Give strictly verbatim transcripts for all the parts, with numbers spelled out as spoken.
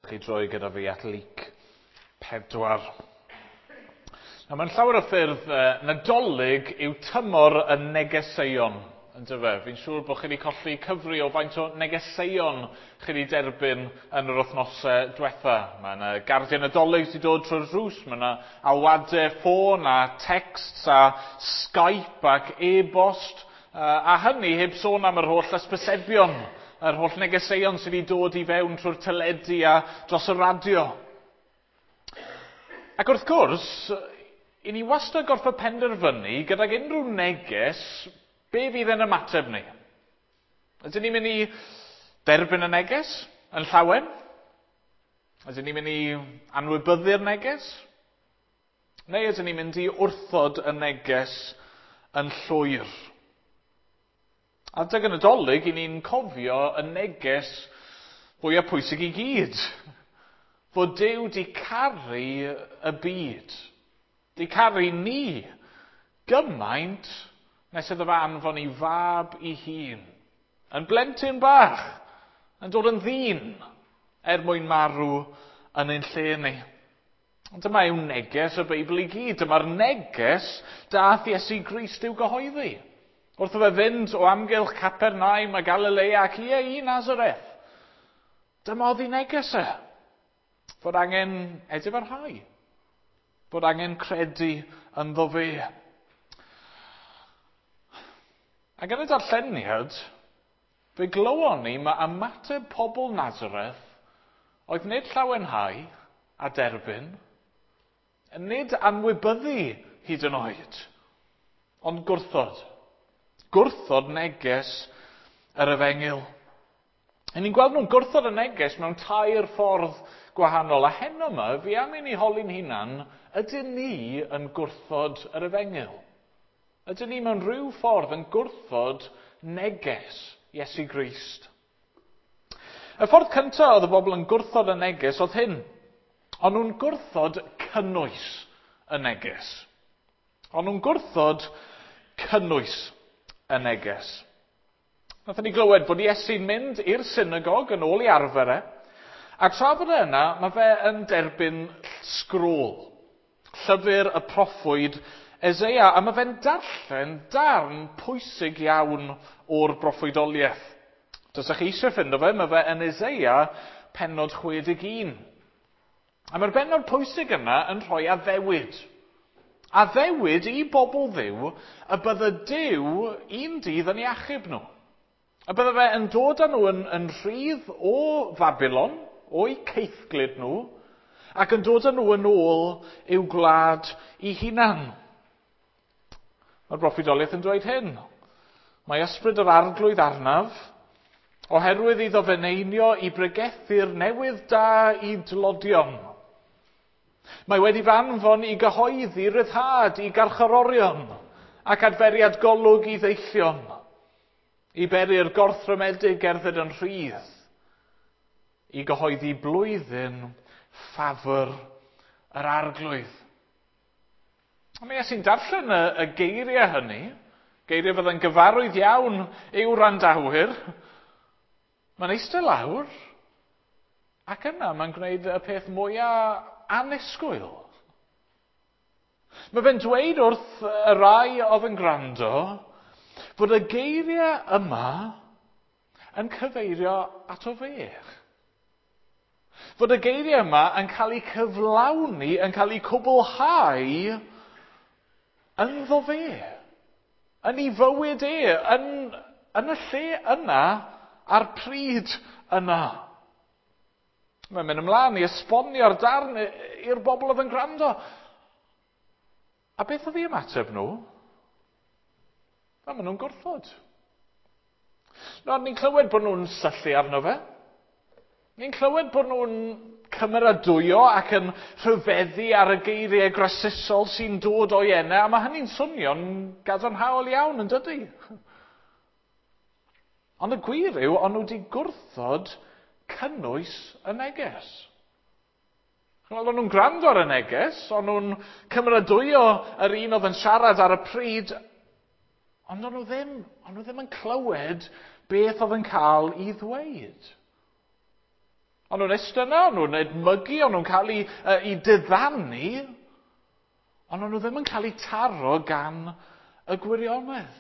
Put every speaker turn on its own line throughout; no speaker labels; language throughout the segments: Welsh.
Chi droi gyda fi at Luc pedwar. Nawr, mewn llawer o ffyrdd, eh, Nadolig yw tymor y negeseuon, yndyfe? Fi'n siŵr bod chi wedi colli cyfri o faint o negeseuon chi wedi derbyn yn yr wythnosau diwetha. Mae yna gardiau Nadolig sydd wedi dod trwy'r drws, mae yna alwadau ffôn a texts a Skype ac e-bost, a hynny heb sôn am yr holl ysbysebion, yr holl negeseuon sydd wedi dod i fewn trwy'r teledu a dros y radio. Ac wrth gwrs, i ni wastad gorfod penderfynu gydag unrhyw neges, be fydd yn ymateb ni? Ydyn ni'n mynd i derbyn y neges yn llawen? Ydyn ni'n mynd i anwybyddu'r neges? Neu ydyn ni'n mynd i wrthod y neges yn llwyr? Adeg y Nadolig, i ni'n cofio y neges fwyaf pwysig i gyd. Fod Duw di caru y byd. Di caru ni gymaint nes iddo fe anfon ei fab ei hun. Yn blentyn bach, yn dod yn ddyn er mwyn marw yn ein lle ni. Ond dyma yw neges y Beibl i gyd. Dyma'r neges dath Iesu Grist i'w gyhoeddi. Wrth iddo fe fynd o amgylch Capernaum a Galilea ac ie i Nazareth. Dyma oedd ei neges e. Fod angen edifarhau. Fod angen credu ynddo fe. Ac yn y darlleniad, fe glywon ni mae ymateb pobl Nazareth oedd nid llawenhau a derbyn, nid anwybyddu hyd yn oed, ond gwrthod. Gwrthod neges yr efengyl. A ni'n gweld nhw'n gwrthod y neges mewn tair ffordd gwahanol. A heno yma, fi am i ni holi'n hunan, ydyn ni yn gwrthod yr efengyl? Ydyn ni mewn rhyw ffordd yn gwrthod neges Iesu Grist? Y ffordd cyntaf oedd y bobl yn gwrthod y neges oedd hyn. O'n nhw'n gwrthod cynnwys y neges. O'n nhw'n gwrthod cynnwys y neges. Nathon ni glywed bod Iesu'n mynd i'r synagog yn ôl i arfer e, a tra fod e yna, mae fe yn derbyn sgrôl, llyfr y proffwyd Eseia, a mae fe'n darllen darn pwysig iawn o'r broffwydoliaeth. Os ydych chi eisiau ffindo fe, mae fe yn Eseia pennod chwe deg un. A mae'r bennod pwysig yna yn rhoi addewid. Addewid i bobl Dduw y bydde Duw un dydd yn ei achub nhw. A bydde fe yn dod â nhw yn, yn rhydd o Fabilon, o'i caethglud nhw, ac yn dod â nhw yn ôl i'w gwlad i hunan. Mae'r broffwydoliaeth yn dweud hyn. Mae ysbryd yr arglwydd arnaf, oherwydd iddo fe neinio i bregethu'r newydd da i dlodion. Mae wedi fy anfon i gyhoeddi ryddhad i garcharorion ac adferiad golwg i ddeillion, i beri'r gorthrymedig gerdded yn rhydd, i gyhoeddi blwyddyn ffafr yr arglwydd. A mi Iesu'n darllen y, y geiriau hynny, geiriau fydd yn gyfarwydd iawn i'w wrandawyr. Mae'n eistedd lawr, ac yna mae'n gwneud y peth mwyaf annisgwyl. Mae fe'n dweud wrth y rai oedd yn gwrando fod y geiriau yma yn cyfeirio ato fe. Fod y geiriau yma yn cael eu cyflawni, yn cael eu cwblhau ynddo fe, yn ei fywyd e, yn, yn y lle yna, a'r pryd yna. Mae'n mynd ymlaen i esbonio'r darn i'r bobl oedd yn gwrando. A beth oedd ei ymateb nhw? Na, maen nhw'n gwrthod. Nawr, ni'n clywed bod nhw'n syllu arno fe. Ni'n clywed bod nhw'n cymeradwyo ac yn rhyfeddu ar y geiriau grasusol sy'n dod o'i enau, a mae hynny'n swnio'n gadarnhaol iawn, yn dydy? Ond y gwir yw, o'n nhw wedi gwrthod cynnwys y neges. Wel, o'n nhw'n gwrando ar y neges, o'n nhw'n cymeradwyo yr un oedd yn siarad ar y pryd, ond o'n nhw ddim, o'n nhw ddim yn clywed beth oedd yn cael ei ddweud. O'n nhw'n eistedd yna, o'n nhw'n edmygu, o'n nhw'n cael eu, uh, eu diddanu, ond o'n nhw ddim yn cael eu taro gan y gwirionedd.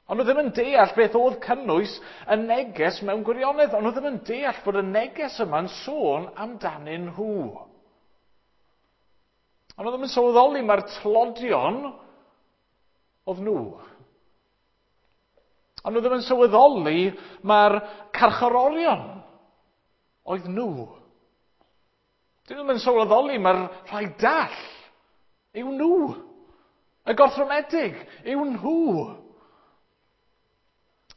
O'n nhw ddim yn deall beth oedd cynnwys y neges mewn gwirionedd. O'n nhw ddim yn deall bod y neges yma'n sôn amdanyn nhw. O'n nhw ddim yn sylweddoli mae'r tlodion oedd nhw. O'n nhw ddim yn sylweddoli mae'r carcharorion oedd nhw. Dyn nhw ddim yn sylweddoli mae'r rhai dall yw nhw. Y gorthrymedig yw nhw.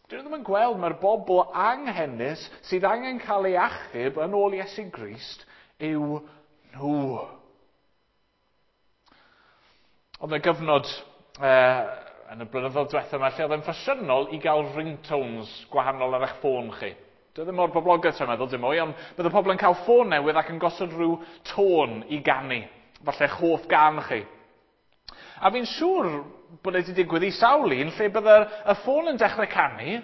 Dyn nhw ddim yn gweld mae'r bobl anghenus sydd angen cael ei achub yn ôl Iesu Grist yw nhw. Oedd yna gyfnod eh, yn y blynyddoedd diwethaf yma lle oedd yn ffasiynol i gael ringtones gwahanol ar eich ffôn chi. Dwi ddim mor boblogaidd tra'n meddwl, dim mwy, ond bydde pobl yn cael ffôn newydd ac yn gosod rhyw tôn i ganu. Falle eich hoff gan chi. A fi'n siŵr bod e wedi digwydd i sawl un lle bydde y ffôn yn dechrau canu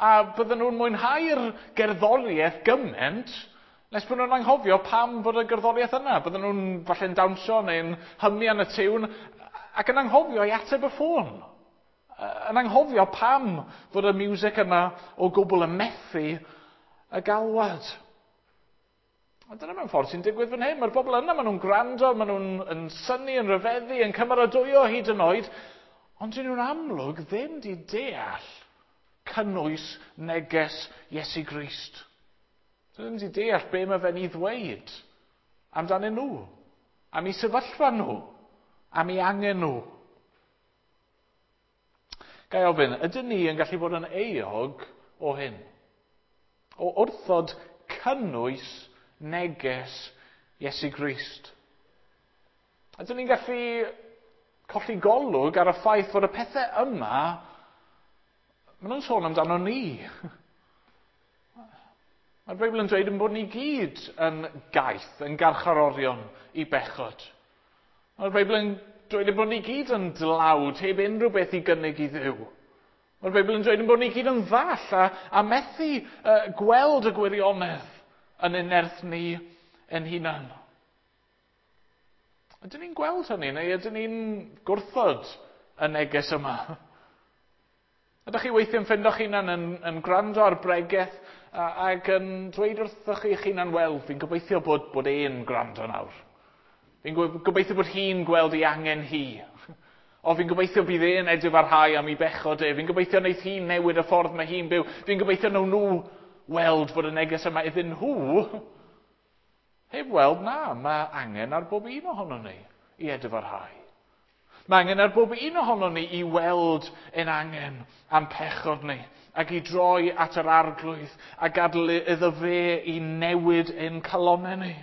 a bydden nhw'n mwynhau'r gerddoriaeth gymaint nes bod nhw'n anghofio pam fod y gerddoriaeth yna. Bydden nhw'n falle'n dawnsio neu'n hymian y tiwn ac yn anghofio i ateb y ffôn. Yn anghofio pam fod y music yna o gwbl yn methu y galwad. A dyna mewn ffordd sy'n digwydd fan hyn. Mae'r bobl yna, maen nhw'n gwrando, maen nhw'n yn synnu, yn rhyfeddu, yn cymeradwyo hyd yn oed, ond dyn nhw'n amlwg ddim di deall cynnwys neges Iesu Grist. Dyn nhw ddim di deall be mae fe'n ei ddweud amdanyn nhw, am eu sefyllfa nhw, am eu angen nhw. Ga i ofyn, ydyn ni yn gallu bod yn euog o hyn? O wrthod cynnwys neges Iesu Grist. Ydyn ni'n gallu colli golwg ar y ffaith fod y pethau yma, maen nhw'n sôn amdano ni. Mae'r Beibl yn dweud yn bod ni gyd yn gaeth, yn garcharorion i bechod. Mae'r Beibl yn dweud yn bod ni gyd yn dlawd, heb unrhyw beth i gynnig i Dduw. Mae'r Beibl yn dweud yn bod ni gyd yn ddall a, a methu uh, gweld y gwirionedd yn ein nerth ni ein hunan. Ydyn ni'n gweld hynny, neu ydyn ni'n gwrthod y neges yma? Ydych chi weithiau'n ffindo'ch hunan yn, yn gwrando ar bregeth ac yn dweud wrthoch chi'ch hunan, wel, fi'n gobeithio bod, bod e'n gwrando nawr. Fi'n gobeithio bod hi'n gweld ei angen hi. O, fi'n gobeithio bydd e'n edifarhau am ei bechod e. Fi'n gobeithio wneith hi newid y ffordd mae hi'n byw. Fi'n gobeithio nawn nhw weld fod y neges yma iddyn nhw. Heb weld, na, mae angen ar bob un ohono ni i edifarhau. Mae angen ar bob un ohono ni i weld ein angen am pechod ni ac i droi at yr Arglwydd a gadael iddo fe i newid ein calonnau ni.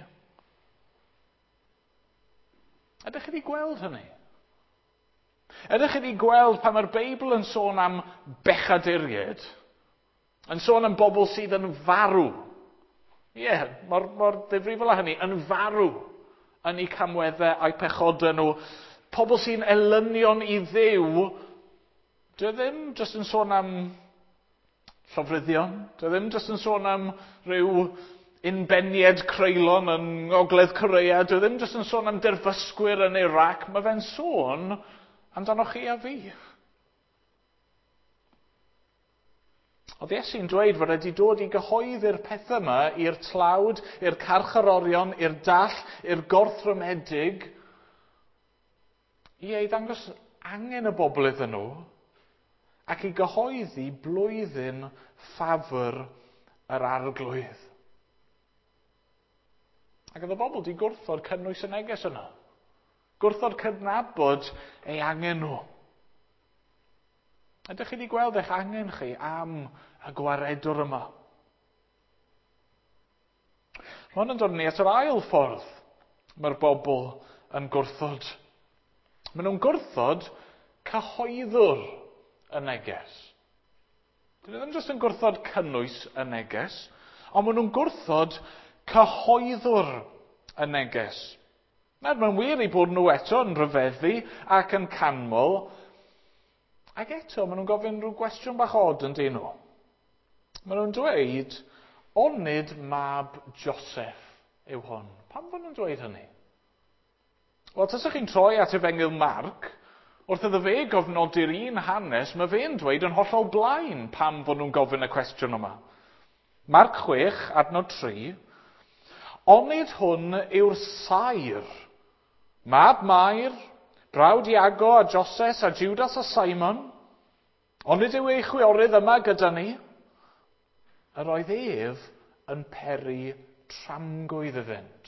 Ydych chi wedi gweld hynny? Ydych chi wedi gweld pan mae'r Beibl yn sôn am bechaduriaid, yn sôn am bobl sydd yn farw? Ie, yeah, mor, mor ddifrifol â hynny, yn farw yn eu camweddau a'u pechodau nhw. Pobl sy'n elynion i Dduw, dwi ddim jyst yn sôn am llofruddion, dwi ddim jyst yn sôn am rhyw unbeniad creulon yn Ngogledd Corea, dwi ddim jyst yn sôn am derfysgwyr yn Iraq, mae fe'n sôn amdano chi a fi. Oedd Iesu'n dweud fod wedi dod i gyhoeddi'r pethau yma i'r tlawd, i'r carcharorion, i'r dall, i'r gorthrymedig, i ei ddangos angen y bobl iddyn nhw ac i gyhoeddi blwyddyn ffafr yr Arglwydd. Ac oedd y bobl wedi gwrthod cynnwys y neges yna. Gwrthod cydnabod ei angen nhw. Ydych chi wedi gweld eich angen chi am y gwaredwr yma? Mae hwn yn dod ni at yr ail ffordd mae'r bobl yn gwrthod. Maen nhw'n gwrthod cyhoeddwr y neges. Dyn nhw ddim jyst yn gwrthod cynnwys y neges, ond maen nhw'n gwrthod cyhoeddwr y neges. Nawr, mae'n wir eu bod nhw eto yn rhyfeddu ac yn canmol, ac eto maen nhw'n gofyn rhyw gwestiwn bach od yn dyn nhw. Maen nhw'n dweud, Onid mab Joseph yw hwn. Pam fod nhw'n dweud hynny? Wel, tasach chi'n troi at Efengyl Marc, wrth iddo fe gofnodi'r un hanes, mae fe'n dweud yn hollol blaen pam fod nhw'n gofyn y cwestiwn yma. Marc chwech, adnod tri, onid hwn yw'r saer, mab Mair, brawd Iago a Joses a Judas a Simon, onid yw ei chwiorydd yma gyda ni? Yr oedd ef yn peri tramgwydd iddynt.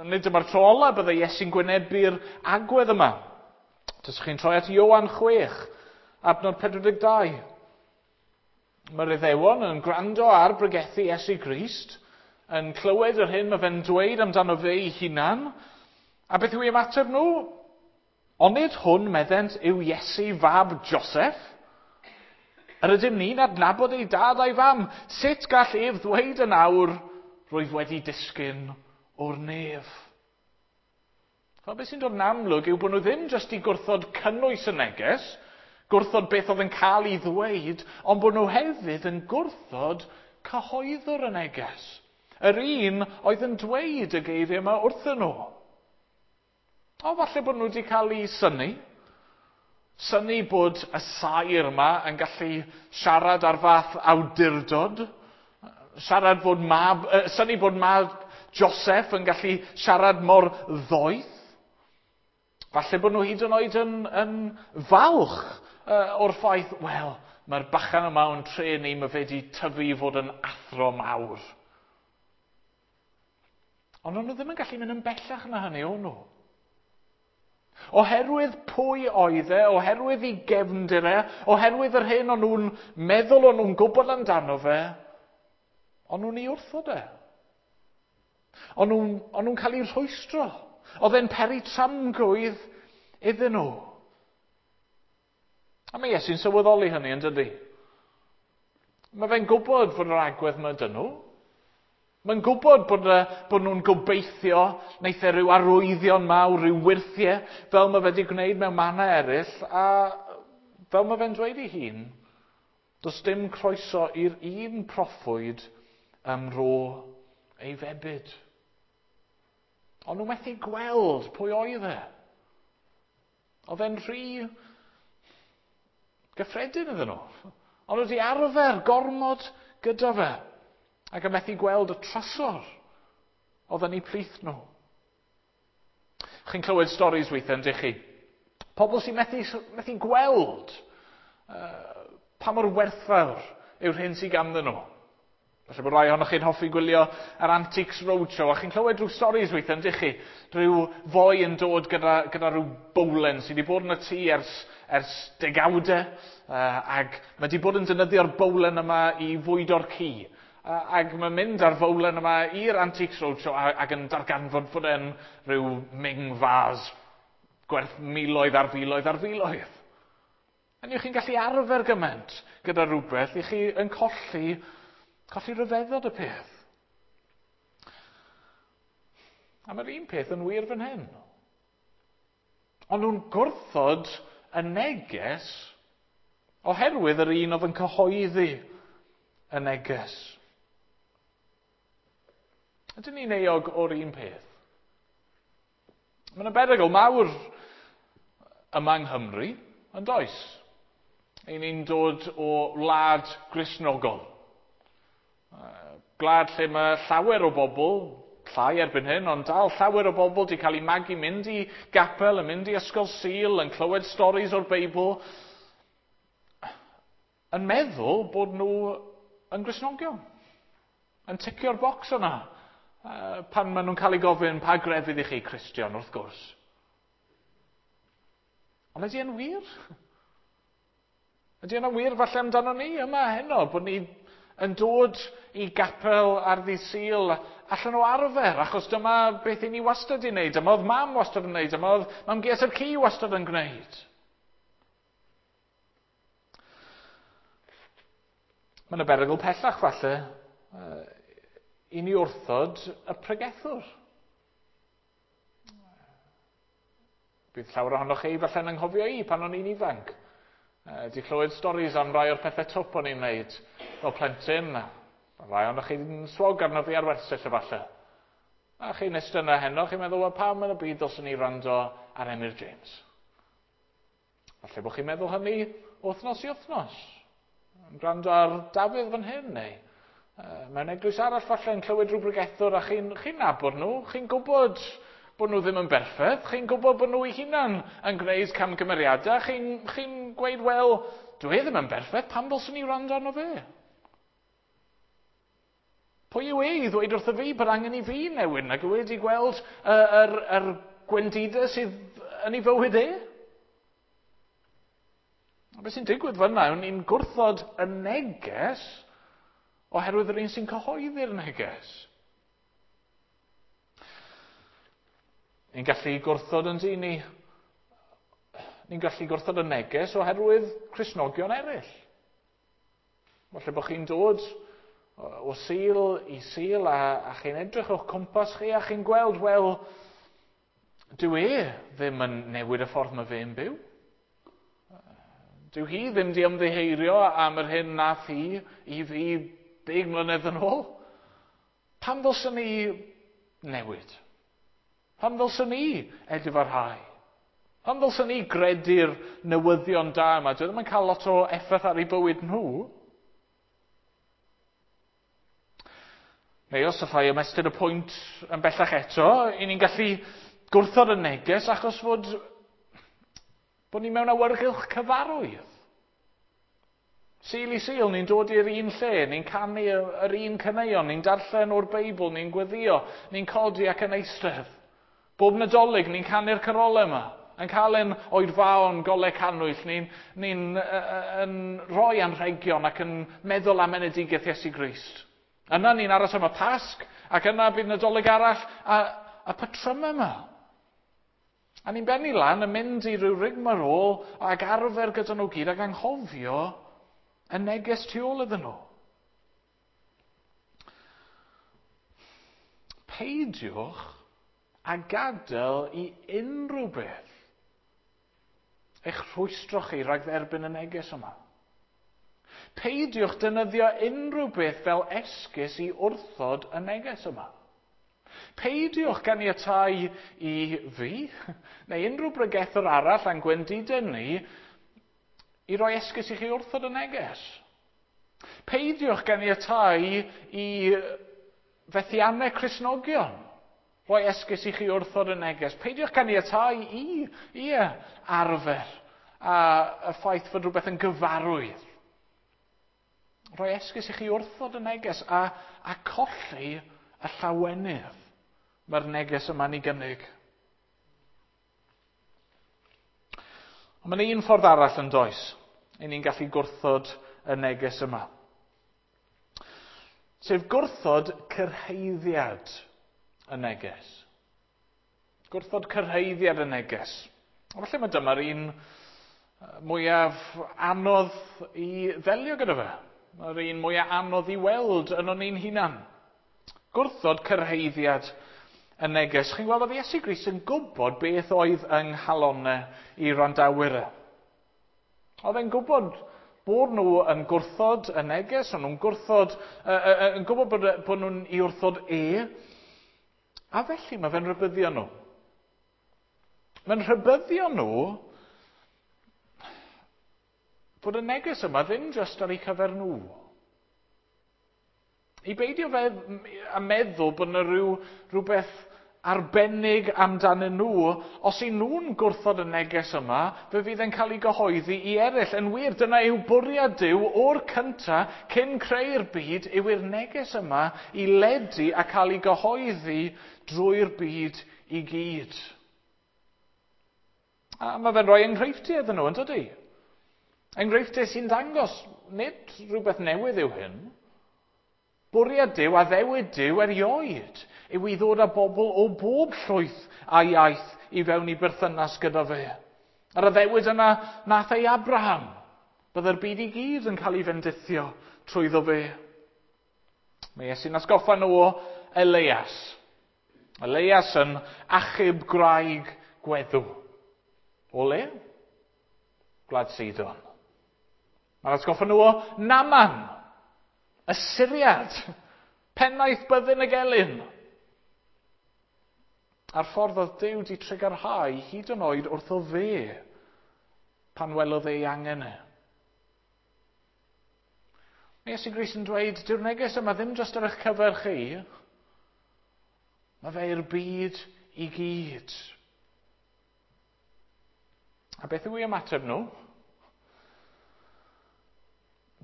Nid dyma'r tro ola byddai Iesu'n gwynebu'r agwedd yma. Taswch chi'n troi at Ioan chwech, adnod pedwar deg dau. Mae'r Iddewon yn gwrando ar bregethu Iesu Grist, yn clywed yr hyn mae fe'n dweud amdano fe ei hunan, a beth yw ei ymateb nhw? Onid hwn, meddent, yw Iesu fab Joseph? Yr ydym ni'n adnabod ei dad a'i fam. Sut gall ef ddweud yn awr, rwyf wedi disgyn o'r nef? Wel, beth sy'n dod yn amlwg yw bod nhw ddim jyst i gwrthod cynnwys y neges, gwrthod beth oedd yn cael ei ddweud, ond bod nhw hefyd yn gwrthod cyhoeddwr y neges. Yr un oedd yn dweud y geiriau yma wrthyn nhw. O, falle bod nhw wedi cael eu synnu. Synnu bod y saer yma yn gallu siarad ar fath awdurdod. Siarad fod mab, uh, synnu bod mab Joseph yn gallu siarad mor ddoeth. Falle bod nhw hyd yn oed yn, yn falch uh, o'r ffaith, wel, mae'r bachan yma o'n tre ni, mae fe wedi tyfu i fod yn athro mawr. Ond o'n nhw ddim yn gallu mynd yn bellach na hynny, o'n nhw. Oherwydd pwy oedd e, oherwydd ei gefndir e, oherwydd yr hyn o'n nhw'n meddwl o'n nhw'n gwybod amdano fe, o'n nhw'n ei wrthod e. O'n nhw'n, o'n nhw'n cael eu rhwystro. Oedd e'n peri tramgwydd iddyn nhw. A mae Iesu'n sylweddoli hynny, yn dydi? Mae fe'n gwybod fod yr agwedd yma dyn nhw. Mae'n gwybod bod, bod nhw'n gobeithio wneith e rhyw arwyddion mawr, rhyw wyrthiau, fel mae fe wedi gwneud mewn mannau eraill, a fel mae fe'n dweud ei hun, does dim croeso i'r un proffwyd ym mro ei febyd. Ond nhw methu gweld pwy oedd e. Oedd e'n rhy gyffredin iddyn nhw. Ond nhw wedi arfer gormod gyda fe. Ac yn methu gweld y trysor oedd yn eu plith nhw. Chi'n clywed storis weithiau, yndych chi? Pobl sy'n methu, methu gweld uh, pa mor werthfawr yw'r hyn sydd ganddyn nhw. Falle bod rai ohonoch chi'n hoffi gwylio yr Antiques Roadshow, a chi'n clywed rhyw storis weithiau, yndych chi? Rhyw foi yn dod gyda, gyda rhyw bowlen sydd wedi bod yn y tŷ ers, ers degawdau, uh, ac mae wedi bod yn defnyddio'r bowlen yma i fwydo'r ci. Ac mae'n mynd ar fowlen yma i'r Antiques Roadshow ac yn darganfod fod e'n rhyw Ming vase gwerth miloedd ar filoedd ar filoedd. A chi'n gallu arfer gymaint gyda rhywbeth i chi yn colli, colli rhyfeddod y peth. A mae'r un peth yn wir fan hyn. Ond nhw'n gwrthod y neges oherwydd yr un oedd yn cyhoeddi y neges. Ydyn ni'n euog o'r un peth? Mae yna berygl mawr yma yng Nghymru, yn does? Ein ni'n dod o wlad Gristnogol. Gwlad lle mae llawer o bobl, llai erbyn hyn, ond dal llawer o bobl wedi cael eu magu mynd i gapel, yn mynd i ysgol Sul, yn clywed storis o'r Beibl, yn meddwl bod nhw yn Gristnogion, yn ticio'r bocs yna. Pan maen nhw'n cael eu gofyn pa grefydd i chi, Cristion, wrth gwrs. Ond ydy e'n wir? Ydy e'n wir falle amdano ni yma heno, bod ni yn dod i gapel ar ddydd Sul allan o arfer, achos dyma beth i ni wastad i wneud, dyma oedd mam wastad yn wneud, dyma oedd mam-gu a'r ci wastad yn gwneud. Mae yna berygl pellach falle i ni wrthod y pregethwr. Bydd llawer ohonoch chi falle'n anghofio i pan o'n i'n ifanc. Di clywed storis am rai o'r pethau twp o'n i'n wneud fel plentyn, rai ohonoch chi'n swog arno fi ar wersyll efallai. A chi'n eistedd yna heno, chi'n meddwl, wel, pam yn y byd dylswn i wrando ar Emyr James? Falle bod chi'n meddwl hynny wythnos i wythnos. Yn gwrando ar Dafydd fan hyn, neu uh, mewn eglwys arall falle yn clywed rhyw bregethwr a chi'n chi nabod nhw, chi'n gwybod bod nhw ddim yn berffaith, chi'n gwybod bod nhw eu hunan yn gwneud camgymeriadau, chi'n chi gweud, wel, dwi e ddim yn berffaith, pam ddylswn i wrando arno fe? Pwy yw e i ddweud wrtho fi bod angen i fi newid nag yw e wedi gweld yr, yr, yr gwendidau sydd yn ei fywyd e? A beth sy'n digwydd fyna yw ni'n gwrthod y neges oherwydd yr un sy'n cyhoeddi'r neges. Ni'n gallu gwrthod yn dyn ni. Ni'n gallu gwrthod y neges oherwydd Cristnogion eraill. Falle bod chi'n dod o Sul i Sul a, a chi'n edrych o'ch cwmpas chi a chi'n gweld, wel, dyw e ddim yn newid y ffordd mae fe'n byw. Dyw hi ddim di ymddiheurio am yr hyn nath hi i fi deg mlynedd yn ôl. Pam ddylswn ni newid? Pam ddylswn ni edifarhau? Pam ddylswn ni gredu'r newyddion da yma? Dwi ddim yn cael lot o effaith ar eu bywyd nhw. Neu os allai ymestyn y pwynt yn bellach eto, i ni'n gallu gwrthod y neges achos fod bod ni mewn awyrgylch cyfarwydd. Sul i Sul, ni'n dod i'r un lle, ni'n canu yr un caneuon, ni'n darllen o'r Beibl, ni'n gweddio, ni'n codi ac yn eistedd. Bob Nadolig, ni'n canu'r carolau yma, yn cael ein oedfaon, golau cannwyll, ni'n ni yn rhoi anrhegion ac yn meddwl am enedigaeth Iesu Grist. Yna ni'n aros am y Pasg, ac yna bydd Nadolig arall, a, a patrymau yma. A ni'n bennu lan yn mynd i ryw rigmarole ac arfer gyda nhw gyd ac anghofio y neges tu ôl iddyn nhw. Peidiwch a gadael i unrhyw beth eich rhwystro chi rhag dderbyn y neges yma. Peidiwch defnyddio unrhyw beth fel esgus i wrthod y neges yma. Peidiwch ganiatáu i fi, neu unrhyw bregethwr arall a'n gwendidau ni, i roi esgus i chi wrthod y neges. Peidiwch ganiatáu i fethiannau Cristnogion roi esgus i chi wrthod y neges. Peidiwch ganiatáu i, i arfer a y ffaith fod rhywbeth yn gyfarwydd. Roi esgus i chi wrthod y neges a, a colli y llawenydd mae'r neges yma'n ei gynnig. Ond mae'n un ffordd arall yn does, i ni'n gallu gwrthod y neges yma. Sef gwrthod cyrhaeddiad y neges. Gwrthod cyrhaeddiad y neges. A falle mae dyma'r un mwyaf anodd i ddelio gyda fe. Mae'r un mwyaf anodd i weld yn o'n ni'n hunan. Gwrthod cyrhaeddiad y neges. Chi'n gweld oedd Iesu Grist yn gwybod beth oedd yng nghalonau i wrandawyr e. Oedd e'n gwybod bod nhw yn gwrthod y neges, o'n nhw'n gwrthod, uh, uh, yn gwybod bod, bod nhw'n i wrthod e. A felly mae fe'n rhybuddio nhw. Mae'n rhybuddio nhw bod y neges yma ddim jyst ar eu cyfer nhw. I beidio fe a meddwl bod yna rhyw, rhywbeth arbennig amdanyn nhw, os y nhw'n gwrthod y neges yma, fe fydd e'n cael ei gyhoeddi i eraill. Yn wir, dyna yw bwriad Duw o'r cynta cyn creu'r byd, yw i'r neges yma i ledu a cael ei gyhoeddi drwy'r byd i gyd. A mae fe'n rhoi enghreifftiau iddyn nhw, yn dydi? Enghreifftiau sy'n dangos, nid rhywbeth newydd yw hyn. Bwriad Duw, addewid Duw erioed, yw i ddod â bobl o bob llwyth a iaith i fewn i berthynas gyda fe. Yr addewid yna nath ei Abraham, byddai'r byd i gyd yn cael ei fendithio trwyddo fe. Mae Iesu'n atgoffa nhw o Elias. Elias yn achub gwraig gweddw. O le? Gwlad Sidon. Mae'n atgoffa nhw o Naaman. Y Syriad, pennaeth byddin y gelyn. A'r ffordd oedd Duw di trugarhau hyd yn oed wrtho fe pan welodd ei angen e. Mae Iesu Grist yn dweud, dyw'r neges yma ddim jyst ar eich cyfer chi, mae fe i'r byd i gyd. A beth yw ei ymateb nhw?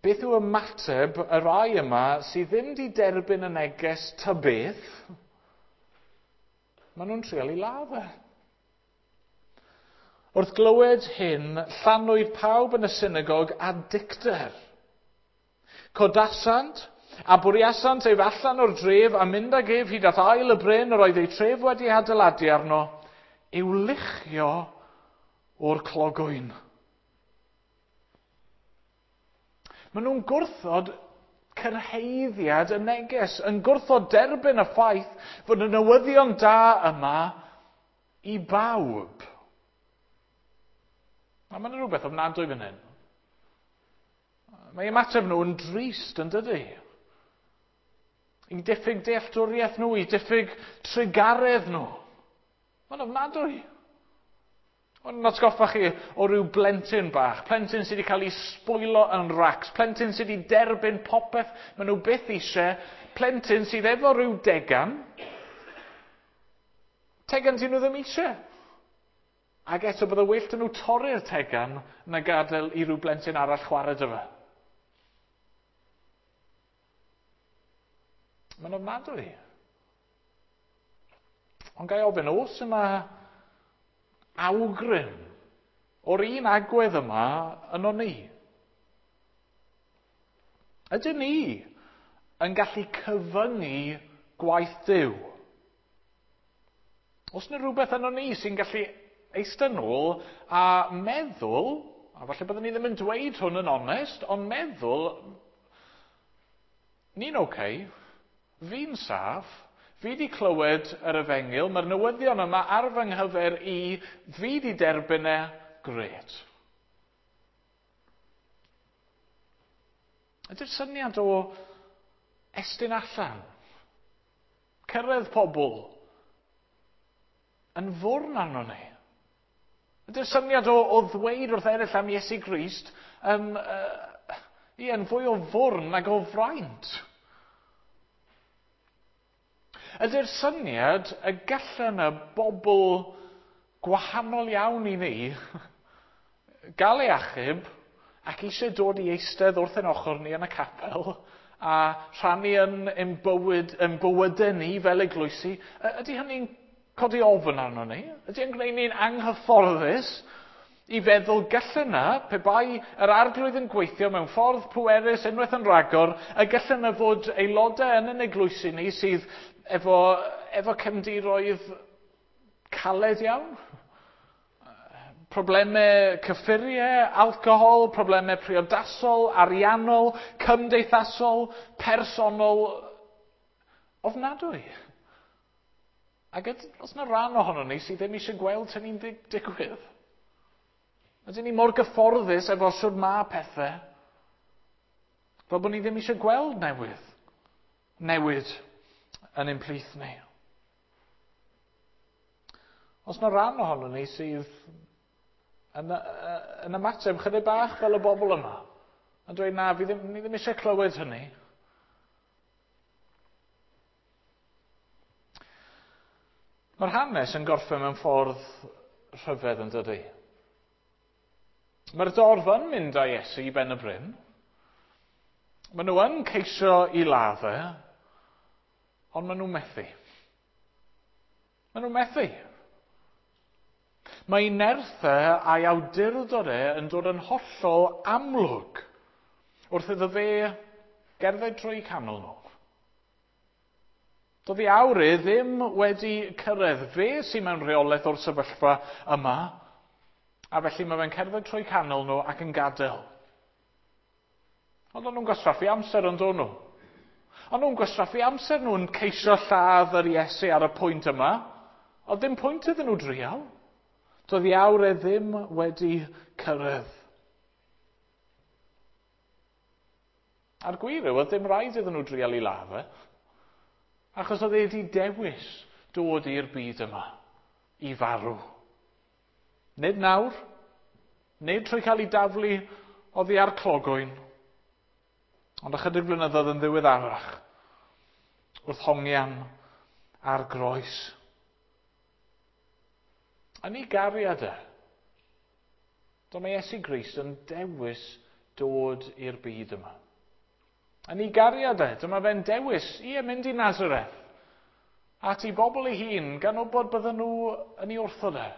Beth yw ymateb y rai yma sydd ddim di derbyn y neges ta beth? Maen nhw'n trial i ladd e. Wrth glywed hyn, llanwyd pawb yn y synagog â dicter. Codasant a bwriasant ef allan o'r dref a mynd ag ef hyd at ael y bryn yr oedd eu tref wedi adeiladu arno, i'w luchio o'r clogwyn. Maen nhw'n gwrthod cyrhaeddiad y neges, yn gwrthod derbyn y ffaith fod y newyddion da yma i bawb. A mae'n rhywbeth ofnadwy fan hyn. Mae ymateb nhw yn drist, yn dydy? I diffyg dealltwriaeth nhw, i diffyg trugaredd nhw. Mae'n ofnadwy. Ond atgoffa chi o ryw blentyn bach, plentyn sydd wedi cael ei sbwylo yn racs, plentyn sydd wedi derbyn popeth maen nhw byth eisiau, plentyn sydd efo rhyw degan, tegan sydd nhw ddim eisiau. Ac eto bydde well 'da nhw torri'r tegan na gadael i ryw blentyn arall chwarae 'da fe. Mae'n ofnadwy. Ond ga i ofyn, oes yna awgrym o'r un agwedd yma yno ni? Ydyn ni yn gallu cyfyngu gwaith Duw? Oes yna rhywbeth yno ni sy'n gallu eistedd nôl a meddwl, a falle byddwn ni ddim yn dweud hwn yn onest, ond meddwl, ni'n oce, okay, fi'n saff, fi di clywed yr efengyl, mae'r newyddion yma ar fy nghyfer i, fi di derbyn e, grêt. Ydy'r syniad o estyn allan, cyrraedd pobl, yn fwrn arno ni? Ydy'r syniad o, o ddweud wrth eraill am Iesu Grist yn, uh, ie, yn fwy o fwrn nag o fraint? Ydy'r syniad y gallan y bobl gwahanol iawn i ni gael ei achub ac eisiau dod i eistedd wrth ein ochr ni yn y capel a rhannu yn, yn, bywyd, yn bywydau ni fel eglwysi, ydy hynny'n codi ofn arno ni? Ydy yn gwneud ni'n anghyfforddus i feddwl gallan yna, pe bai yr arglwydd yn gweithio mewn ffordd pwerus unwaith yn rhagor, y gallan yna fod aelodau yn yn eglwysi ni sydd efo, efo cefndiroedd caled iawn, problemau cyffuriau, alcohol, problemau priodasol, ariannol, cymdeithasol, personol, ofnadwy. Ac os yna rhan ohono ni sydd ddim eisiau gweld hynny'n digwydd? Ydyn ni mor gyfforddus efo siwr ma pethau, fel bod ni ddim eisiau gweld newydd, newid yn ein plith ni. Os yna rhan ohono ni sydd yn, yn ymateb chydig bach fel y bobl yma, yn dweud na, fi ddim, ni ddim eisiau clywed hynny. Mae'r hanes yn gorffen mewn ffordd rhyfedd yn dydy. Mae'r dorf yn mynd â Iesu i ben y bryn. Maen nhw yn ceisio i ladd e, ond maen nhw'n methu. Maen nhw'n methu. Mae ei nerth e a'i awdurdod e yn dod yn hollol amlwg wrth iddo fe gerdded trwy canol nhw. Doedd ei awr e ddim wedi cyrraedd. Fe sy'n mewn rheolaeth o'r sefyllfa yma, a felly mae fe'n cerdded trwy canol nhw ac yn gadael. Ond o'n nhw'n gwastraffu amser yn dod nhw. O'n nhw'n gwastraffu amser nhw'n ceisio lladd yr Iesu ar y pwynt yma. Oedd ddim pwynt iddyn nhw drial. Doedd ei awr e ddim wedi cyrraedd. A'r gwir yw, oedd dim rhaid iddyn nhw drial i ladd e, achos oedd e wedi dewis dod i'r byd yma, i farw. Nid nawr, nid trwy cael ei daflu oddi ar clogwyn, ond ychydig blynyddoedd yn ddiweddarach, wrth hongian ar groes. Yn ei gariad e, dyma Iesu Grist yn dewis dod i'r byd yma. Yn ei gariad e, dyma fe'n dewis i mynd i Nazareth, at ei bobl ei hun, gan wybod bydden nhw yn ei wrthod e.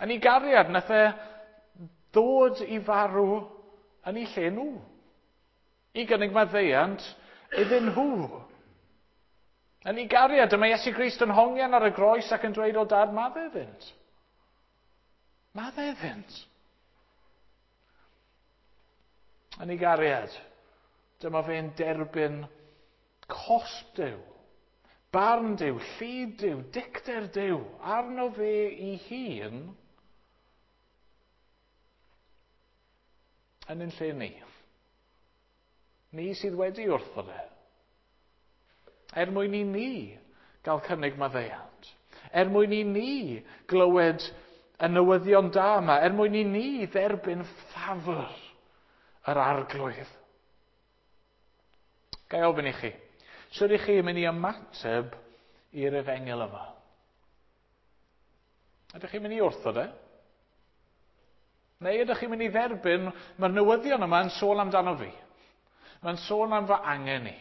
Yn ei gariad, nath e ddod i farw yn ei lle nhw. I gynnig maddeuant iddyn nhw. Yn ei gariad, dyma Iesu Grist yn hongian ar y groes ac yn dweud o dad, madde iddynt. Madde iddynt. Yn ei gariad, dyma fe'n derbyn cosb Duw, barn Duw, llid Duw, dicter Duw, arno fe ei hun yn ein lle ni. Ni sydd wedi wrthod e. Er mwyn i ni gael cynnig maddeuant. Er mwyn i ni glywed y newyddion da yma. Er mwyn i ni dderbyn ffafr yr Arglwydd. Ga i ofyn i chi, sut ych chi yn mynd i ymateb i'r efengyl yma? Ydych chi'n mynd i wrthod e? Neu ydych chi'n mynd i dderbyn, mae'r newyddion yma yn sôn amdano fi. Mae'n sôn am fy angen i.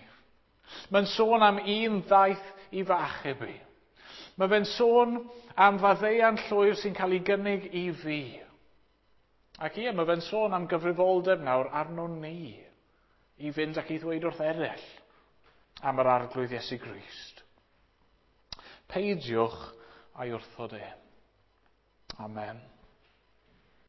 Mae'n sôn am un ddaeth i fy achub i. Mae fe'n sôn am faddeuant llwyr sy'n cael ei gynnig i fi. Ac ie, mae fe'n sôn am gyfrifoldeb nawr arno ni i fynd ac i ddweud wrth eraill am yr Arglwydd Iesu Grist. Peidiwch a'i wrthod e. Amen.